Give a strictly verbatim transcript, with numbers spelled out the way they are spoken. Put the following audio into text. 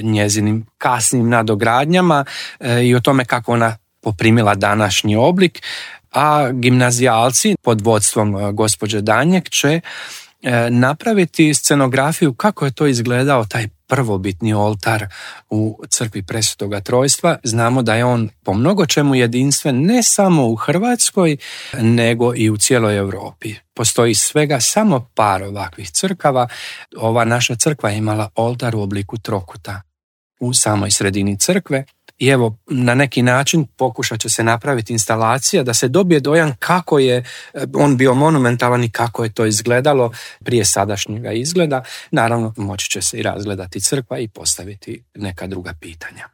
njezinim kasnim nadogradnjama i o tome kako ona poprimila današnji oblik, a gimnazijalci pod vodstvom gospođe Danjek će napraviti scenografiju kako je to izgledao taj prvobitni oltar u crkvi Presvetoga Trojstva. Znamo da je on po mnogo čemu jedinstven ne samo u Hrvatskoj, nego i u cijeloj Europi. Postoji svega samo par ovakvih crkava. Ova naša crkva je imala oltar u obliku trokuta u samoj sredini crkve. I evo, na neki način pokušat će se napraviti instalacija da se dobije dojam kako je on bio monumentalan i kako je to izgledalo prije sadašnjega izgleda. Naravno, moći će se i razgledati crkva i postaviti neka druga pitanja.